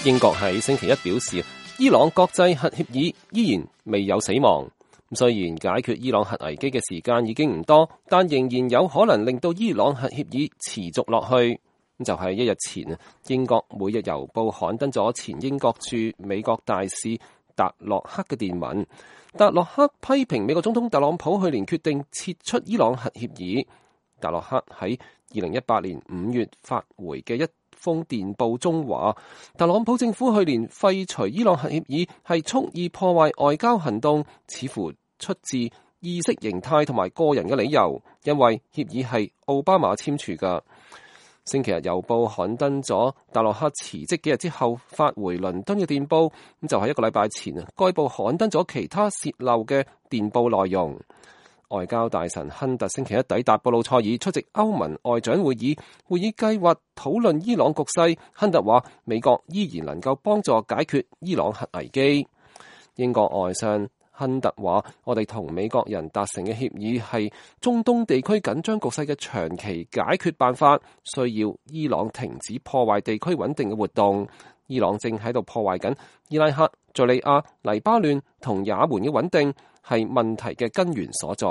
英國喺星期一表示，伊朗國際核協議依然未有死亡。雖然解決伊朗核危機嘅時間已經唔多，但仍然有可能令到伊朗核協議持續落去。就係一日前，英國每日郵報刊登咗前英國駐美國大使達洛克嘅電文。達洛克批評美國總統特朗普去年決定撤出伊朗核協議。達洛克喺2018年5月發回嘅一封電報中話，特朗普政府去年廢除伊朗核協議係蓄意破壞外交行動，似乎出自意識形態同埋個人嘅理由，因為協議係奧巴馬簽署㗎。星期日郵報刊登咗達洛克辭職幾日之後發回倫敦嘅電報，咁就係一個禮拜前，該報刊登咗其他洩漏嘅電報內容。外交大臣亨特星期一抵達布魯塞爾出席歐盟外長會議，會議計劃討論伊朗局勢。亨特話美國依然能夠幫助解決伊朗核危機。英國外相亨特話，我哋同美國人達成嘅協議係中東地區緊張局勢嘅長期解決辦法，需要伊朗停止破壞地區穩定嘅活動。伊朗正喺度破壞緊伊拉克、敘利亞、黎巴嫩同也門嘅穩定，係問題嘅根源所在。